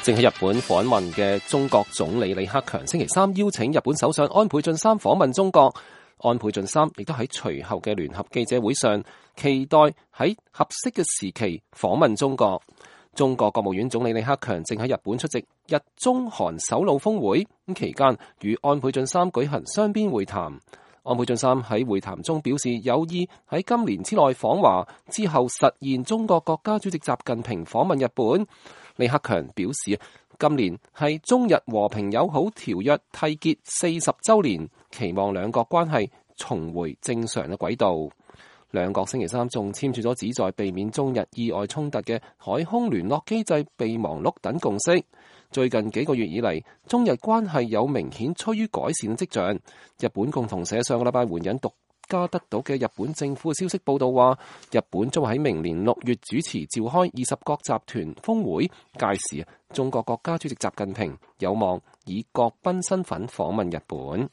正喺日本訪問嘅中國總理李克強星期三邀請日本首相安倍晉三訪問中國。安倍晉三亦都喺隨後嘅聯合記者會上，期待喺合適嘅時期訪問中國。中國國務院總理李克強正喺日本出席日中韓首腦峰會，咁期間與安倍晉三舉行雙邊會談。安倍晉三喺會談中表示有意喺今年之內訪華，之後實現中國國家主席習近平訪問日本。李克強表示，今年係中日和平友好條約締結40週年，期望兩國關係重回正常嘅軌道。兩國星期三仲簽署咗旨在避免中日意外衝突嘅海空聯絡機制備忘錄等共識。最近幾個月以嚟，中日關係有明顯趨於改善嘅跡象。日本共同社上個禮拜援引獨家得到嘅日本政府嘅消息報道話，日本將喺明年6月主持召開20國集團峰會，屆時中國國家主席習近平有望以國賓身份訪問日本。